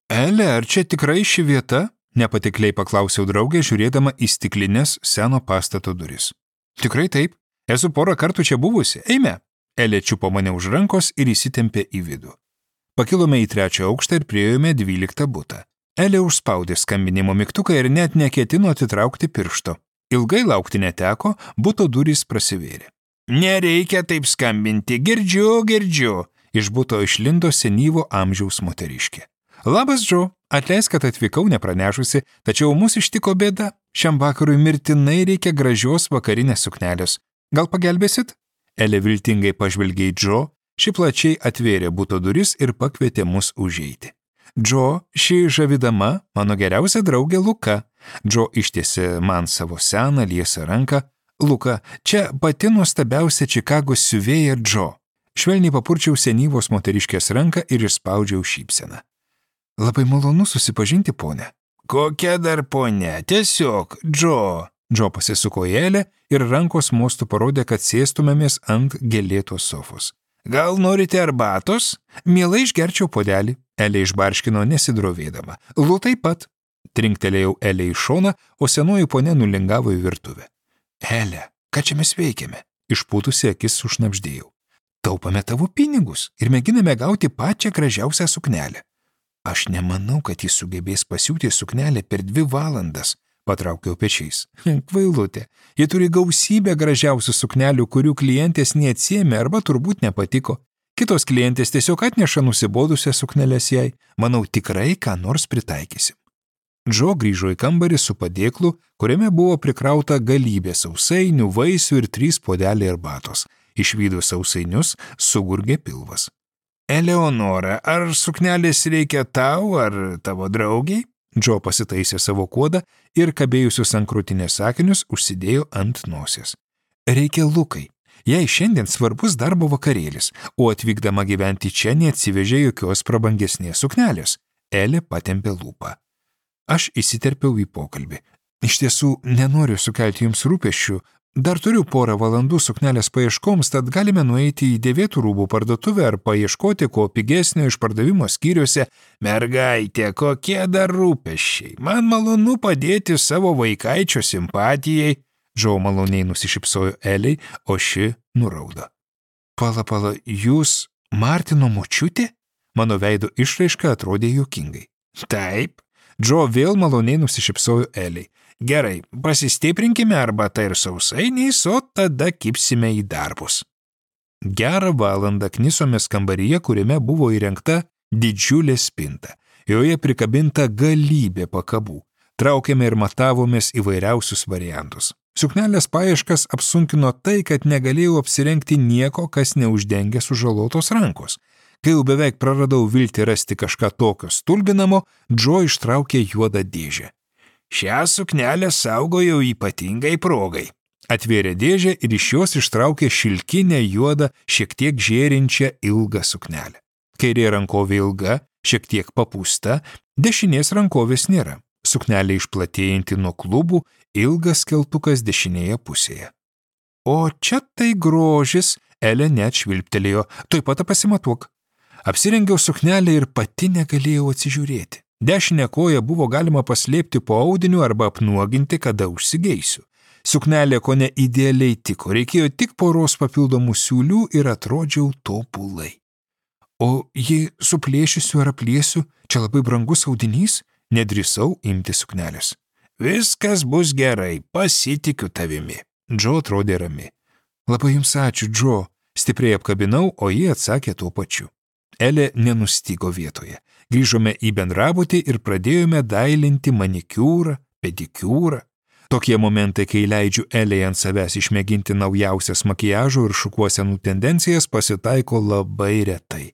Ele, ar čia tikrai ši vieta? Nepatikliai paklausiau draugę, žiūrėdama į stiklinės seno pastato duris. Tikrai taip. Esu porą kartų čia buvusi. Eime. Elė čiupo mane už rankos ir įsitempė į vidų. Pakilome į 3 aukštą ir priėjome 12 butą. Elė užspaudė skambinimo mygtuką ir net neketino atitraukti piršto. Ilgai laukti neteko, buto durys prasivėrė. Nereikia taip skambinti, girdžiu. Iš buto išlindo senyvo amžiaus moteriškė. Labas, Džo, atleisk, kad atvykau nepranešusi, tačiau mus ištiko bėda. Šiam vakarui mirtinai reikia gražios vakarinės suknelės. Gal pagelbėsit? Elė viltingai pažvelgė į Džo, ši plačiai atvėrė buto duris ir pakvietė mus užeiti. Džo, ši žavidama, mano geriausia draugė Luka. Džo ištiesė man savo seną liesą ranką. Luka, čia pati nuostabiausia Čikagos siuvėja Džo. Švelniai papurčiau senyvos moteriškės ranką ir išspaudžiau šypseną. Labai malonu susipažinti, ponė. Kokia dar ponė? Tiesiog, Džo. Džo pasisuko į Elę ir rankos mostu parodė, kad sėstumėmės ant gėlėtos sofos. Gal norite arbatos? Mielai išgerčiau puodelį. Elė išbarškino nesidrovėdama. Lu taip pat. Trinktelėjau Elė į šoną, o senoji ponė nulingavo į virtuvę. Elė, ką čia mes veikiame? Išpūtusi akis sušnabždėjau. Taupame tavo pinigus ir mėginame gauti pačią gražiausią suknelę. Aš nemanau, kad jis sugebės pasiūti suknelę per 2 valandas, patraukiau pečiais. Kvailutė, jie turi gausybę gražiausių suknelių, kurių klientės neatsiėmė arba turbūt nepatiko. Kitos klientės tiesiog atneša nusibodusią suknelės jai. Manau, tikrai ką nors pritaikysim. Džo grįžo į kambarį su padėklu, kuriame buvo prikrauta galybė sausainių, vaisių ir 3 puodeliai arbatos. Išvydus sausainius, sugurgė pilvas. Eleonora, ar suknelės reikia tau ar tavo draugiai? Džo pasitaisė savo kuodą ir kabėjusius ant krūtinės sakinius užsidėjo ant nosies. Reikia Lukai. Jai šiandien svarbus darbo vakarėlis, o atvykdama gyventi čia neatsivežė jokios prabangesnės suknelės. Elė patempė lūpą. Aš įsiterpiau į pokalbį. Iš tiesų, nenoriu sukelti jums rūpesčių. Dar turiu porą valandų suknelės paieškoms, tad galime nueiti į dėvėtų rūbų parduotuvę ar paieškoti ko pigesnio išpardavimo skyriuose. Mergaitė, kokie dar rūpesčiai. Man malonu padėti savo vaikaičio simpatijai. Džo maloniai nusišypsojo Elei, o ši nuraudo. Pala, jūs Martino močiutė? Mano veido išraiška atrodė juokingai. Taip. Džo vėl maloniai nusišypsojo Elei. Gerai, pasistiprinkime arbatą ir sausainiais, o tada kipsime į darbus. Gerą valandą knisomės kambaryje, kuriame buvo įrengta didžiulė spinta. Joje prikabinta galybė pakabų. Traukėme ir matavomės įvairiausius variantus. Suknelės paieškas apsunkino tai, kad negalėjau apsirengti nieko, kas neuždengia sužalotos rankos. Kai jau beveik praradau viltį rasti kažką tokio stulbinamo, Džo ištraukė juodą dėžę. Šią suknelę saugojau ypatingai progai. Atvėrė dėžę ir iš jos ištraukė šilkinę juodą, šiek tiek žėrinčią ilgą suknelę. Kairė rankovė ilga, šiek tiek papūsta, dešinės rankovės nėra. Suknelė išplatėjanti nuo klubų, ilgas keltukas dešinėje pusėje. O čia tai grožis, Elė net švilptelėjo, tuoj pat pasimatuok. Apsirengiau suknelę ir pati negalėjau atsižiūrėti. Dešinę koją buvo galima paslėpti po audiniu arba apnuoginti, kada užsigeisiu. Suknelė kone idealiai tiko, reikėjo tik poros papildomų siūlių ir atrodžiau tobulai. O jei suplėšysiu ar apliesiu, čia labai brangus audinys, nedrįsau imti suknelės. Viskas bus gerai, pasitikiu tavimi. Džo atrodė rami. Labai jums ačiū, Džo, stipriai apkabinau, o ji atsakė tuo pačiu. Elė nenustygo vietoje. Grįžome į bendrabutį ir pradėjome dailinti manikiūrą, pedikiūrą. Tokie momentai, kai leidžiu Elei ant savęs išmėginti naujausias makiažo ir šukuosenų tendencijas, pasitaiko labai retai.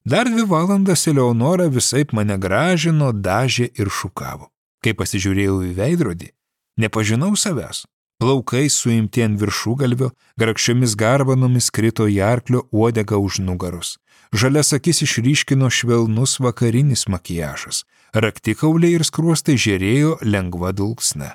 Dar 2 valandas Eleonora visaip mane gražino, dažė ir šukavo. Kai pasižiūrėjau į veidrodį, nepažinau savęs. Plaukai suimti ant viršugalvio, grakščiomis garbanomis krito į arklio uodegą už nugaros. Žalias akis išryškino švelnus vakarinis makiažas. Raktikauliai ir skruostai žėrėjo lengva dulksna.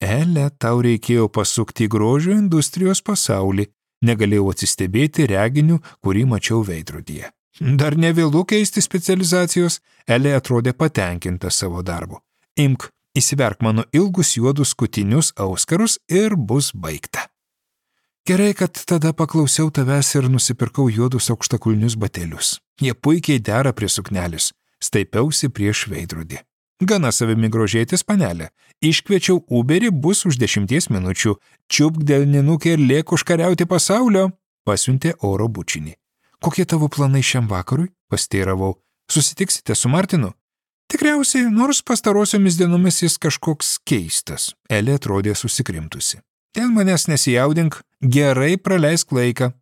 Ele, tau reikėjo pasukti į grožio industrijos pasaulį. Negalėjau atsistebėti reginiu, kurį mačiau veidrodyje. Dar nevėlu keisti specializacijos, Elė atrodė patenkinta savo darbu. Imk, įsiverk mano ilgus juodus skutinius auskarus ir bus baigta. Gerai, kad tada paklausiau tavęs ir nusipirkau juodus aukštakulnius batelius. Jie puikiai dera prie suknelės. Staipiausi prieš veidrodį. Gana savimi grožėtis, panelė. Iškviečiau Uberį, bus už 10 minučių. Čiupk delninukį ir lėk užkariauti pasaulio, pasiuntė oro bučinį. Kokie tavo planai šiam vakarui? Pasteiravau. Susitiksite su Martinu? Tikriausiai, nors pastarosiomis dienomis jis kažkoks keistas. Elė atrodė susikrimtusi. Dėl manęs nesijaudink, gerai praleisk laiką.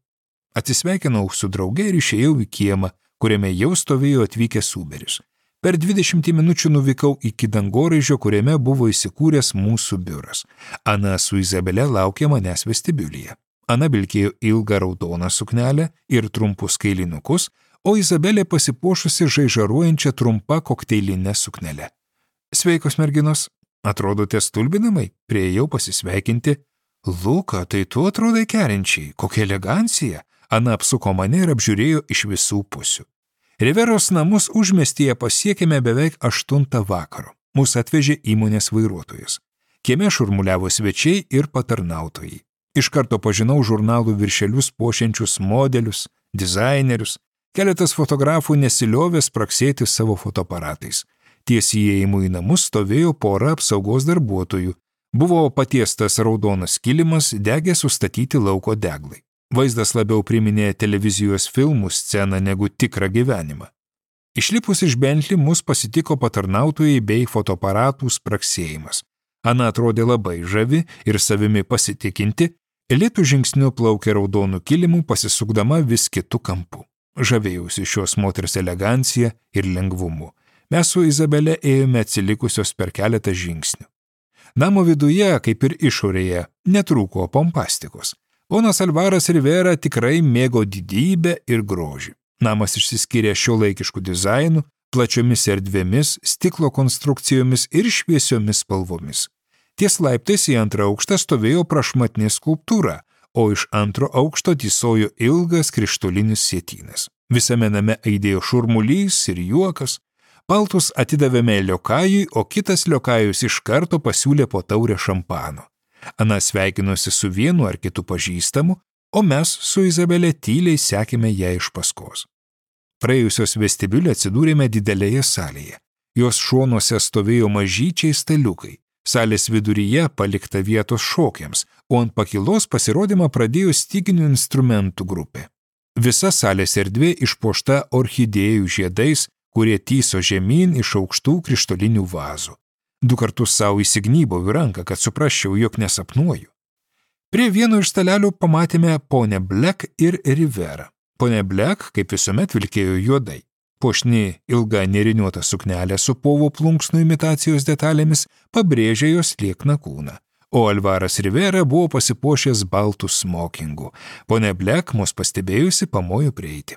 Atsisveikinau su drauge ir išėjau į kiemą, kuriame jau stovėjo atvykęs Uberis. Per 20 minučių nuvykau iki dangoraižio, kuriame buvo įsikūręs mūsų biuras. Ana su Izabele laukė manęs vestibiulyje. Ana vilkėjo ilgą raudoną suknelę ir trumpus kailinukus, o Izabelė pasipuošusi žaižaruojančią trumpą kokteilinę suknelę. Sveikos merginos, atrodote stulbinamai, priėjau pasisveikinti. Luka, tai tu atrodai kerinčiai, kokia elegancija. Ana apsuko mane ir apžiūrėjo iš visų pusių. Riveros namus užmiestyje pasiekėme beveik 8 vakaro. Mūsų atvežė įmonės vairuotojas. Kieme šurmuliavo svečiai ir patarnautojai. Iš karto pažinau žurnalų viršelius puošiančius modelius, dizainerius. Keletas fotografų nesiliovė spraksėti savo fotoaparatais. Ties įėjimu į namus stovėjo pora apsaugos darbuotojų. Buvo patiestas raudonas kilimas, degė sustatyti lauko deglai. Vaizdas labiau priminė televizijos filmų sceną negu tikrą gyvenimą. Išlipus iš Bentley mus pasitiko patarnautojai bei fotoaparatų spraksėjimas. Ana atrodė labai žavi ir savimi pasitikinti, lėtų žingsniu plaukė raudonų kilimų, pasisukdama vis kitu kampu. Žavėjausi šios moters elegancija ir lengvumu. Mes su Izabele ėjome atsilikusios per keletą žingsnių. Namo viduje, kaip ir išorėje, netrūko pompastikos. Ponas Alvaras Rivera tikrai mėgo didybę ir grožį. Namas išsiskyrė šiuolaikišku dizainu, plačiomis erdvėmis, stiklo konstrukcijomis ir šviesiomis spalvomis. Ties laiptais į antrą aukštą stovėjo prašmatni skulptūra, o iš antro aukšto tysojo ilgas krištolinis sietynas. Visame name aidėjo šurmulys ir juokas. Paltus atidavėme liokajui, o kitas liokajus iš karto pasiūlė po taurę šampano. Ana sveikinosi su vienu ar kitu pažįstamu, o mes su Izabelė tyliai sekėme ją iš paskos. Praėjusios vestibiulį atsidūrėme didelėje salėje. Jos šonuose stovėjo mažyčiai staliukai. Salės viduryje palikta vietos šokiams, o ant pakilos pasirodymą pradėjo styginių instrumentų grupė. Visa salės erdvė išpuošta orchidėjų žiedais, kurie tyso žemyn iš aukštų krištolinių vazų. 2 kartus savo įsignybau į ranką, kad suprasčiau, jog nesapnuoju. Prie vieno iš stalelių pamatėme ponę Black ir Rivera. Ponė Black, kaip visuomet, vilkėjo juodai. Puošni ilga nėriniuota suknelė su povo plunksnų imitacijos detalėmis pabrėžė jos liekną kūną, o Alvaras Rivera buvo pasipuošęs baltų smokingų. Ponė Black mus pastebėjusi pamojo prieiti.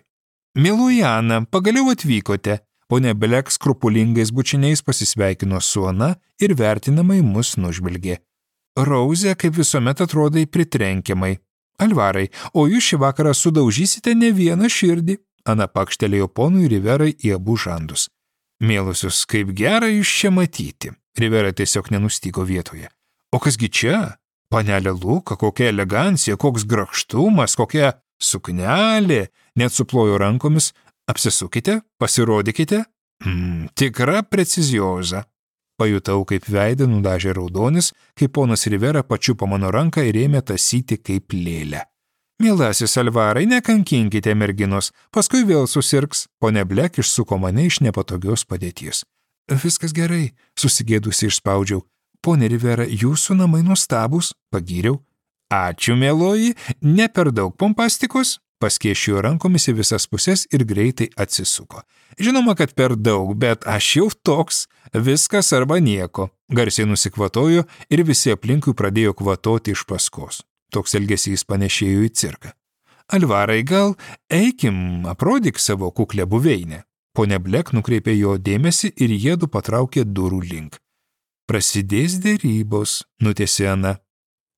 Mieloji Ana, pagaliau atvykote. Ponė Black skrupulingais bučiniais pasisveikino su Ana ir vertinamai mus nužvelgė. Rauze, kaip visuomet, atrodai pritrenkiamai. Alvarai, o jūs šį vakarą sudaužysite ne vieną širdį. Ana pakštelėjo ponui Riverai į abu žandus. Mielusius, kaip gera jūs čia matyti. Rivera tiesiog nenustygo vietoje. O kasgi čia? Panelė Luka, kokia elegancija, koks grakštumas, kokia suknelė. Net suplojo rankomis. Apsisukite, pasirodykite. Tikra precizioza. Pajutau, kaip veidą nudažė raudonis, kai ponas Rivera pačiupo mano ranką ir ėmė tasyti kaip lėlę. Mielasis Alvarai, nekankinkite merginos, paskui vėl susirgs. Ponė Black išsuko mane iš nepatogios padėties. Viskas gerai, susigėdusi išspaudžiau. Ponė Rivera, jūsų namai nuostabūs, pagyriau. Ačiū, mieloji, ne per daug pompastikos. Paskėšijo rankomis į visas pusės ir greitai atsisuko. Žinoma, kad per daug, bet aš jau toks, viskas arba nieko. Garsiai nusikvatojo ir visi aplinkui pradėjo kvatoti iš paskos. Toks elgesys panešėjo į cirką. Alvarai, gal eikim, aprodyk savo kuklę buveinę. Ponė Black nukreipė jo dėmesį ir jiedu patraukė durų link. Prasidės derybos, nutėsė Ana.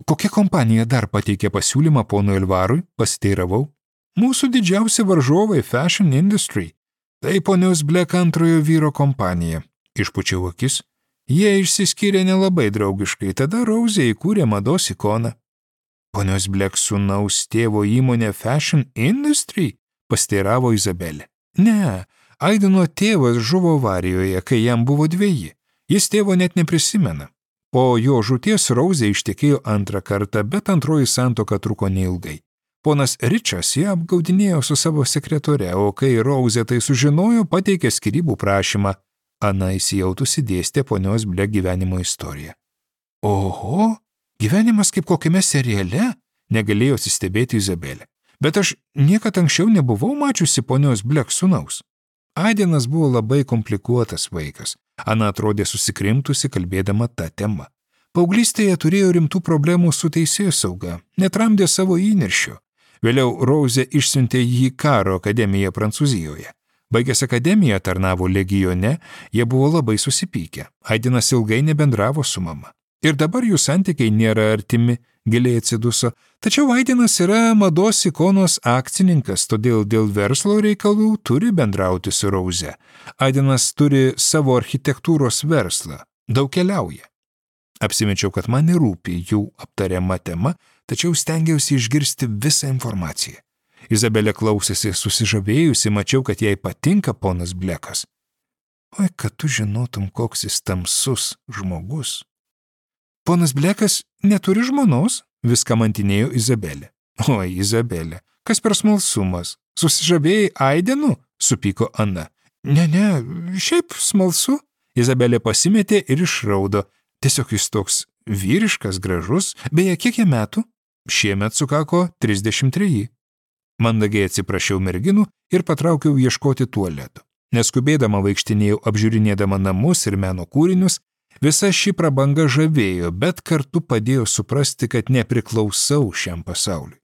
Kokia kompanija dar pateikė pasiūlymą ponui Alvarui, pasiteiravau. Mūsų didžiausi varžovai Fashion Industry. Tai ponios Black antrojo vyro kompanija. Išpučiau akis. Jie išsiskyrė nelabai draugiškai, tada Rouzė įkūrė mados ikoną. Ponios Black sūnaus tėvo įmonė Fashion Industry? Pasteiravo Izabelė. Ne, Aideno tėvas žuvo avarijoje, kai jam buvo 2. Jis tėvo net neprisimena. Po jo žūties Rouzė ištekėjo 2 kartą, bet antroji santuoka truko neilgai. Ponas Ričas ją apgaudinėjo su savo sekretore, o kai Rouzė tai sužinojo, pateikė skyrybų prašymą. Ana įsijautusi dėstė ponios Black gyvenimo istoriją. Oho, gyvenimas kaip kokiame seriale, negalėjo atsistebėti Izabelė. Bet aš niekad anksčiau nebuvau mačiusi ponios Black sūnaus. Aidenas buvo labai komplikuotas vaikas. Ana atrodė susikrimtusi, kalbėdama tą temą. Paauglystėje turėjo rimtų problemų su teisėsauga, netramdė savo įniršio. Vėliau Rouzė išsiuntė jį į karo akademiją Prancūzijoje. Baigęs akademiją tarnavo legione, jie buvo labai susipykę. Aidenas ilgai nebendravo su mama. Ir dabar jų santykiai nėra artimi, giliai atsiduso. Tačiau Aidenas yra mados ikonos akcininkas, todėl dėl verslo reikalų turi bendrauti su Rouzė. Aidenas turi savo architektūros verslą, daug keliauja. Apsimečiau, kad man nerūpi jų aptariama tema, tačiau stengiausi išgirsti visą informaciją. Izabelė klausėsi susižavėjusi, mačiau, kad jai patinka ponas Blekas. Oi, kad tu žinotum, koks jis tamsus žmogus. Ponas Blekas neturi žmonos, viską mantinėjo Izabelė. Oi, Izabelė, kas per smalsumas? Susižavėjai Aidenu? Supyko Ana. Ne, šiaip smalsu. Izabelė pasimetė ir išraudo. Tiesiog jis toks vyriškas, gražus, beje, kiek jam metų? Šiemet sukako 33. Mandagiai atsiprašiau merginų ir patraukiau ieškoti tualeto. Neskubėdama vaikštinėjau apžiūrinėdama namus ir meno kūrinius, visa ši prabanga žavėjo, bet kartu padėjo suprasti, kad nepriklausau šiam pasauliui.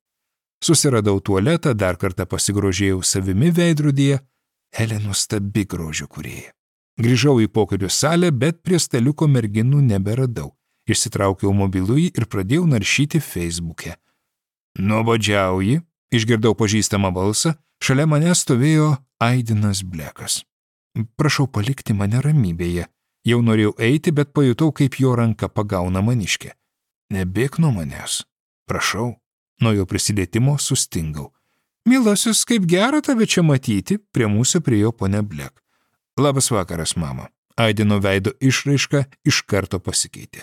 Susiradau tualetą, dar kartą pasigrožėjau savimi veidrodyje, Elė nuostabi grožio kūrėja. Grįžau į pokylių salę, bet prie staliuko merginų neberadau. Išsitraukiau mobilųjį ir pradėjau naršyti Facebook'e. Nuobodžiauji, išgirdau pažįstamą balsą, šalia mane stovėjo Aidenas Blekas. Prašau palikti mane ramybėje. Jau norėjau eiti, bet pajutau, kaip jo ranka pagauna maniškę. Nebėk nuo manęs. Prašau. Nuo jo prisilietimo sustingau. Mielasis, kaip gera tave čia matyti, prie mūsų priėjo ponia Black. Labas vakaras, mama. Aideno veido išraiška iš karto pasikeitė.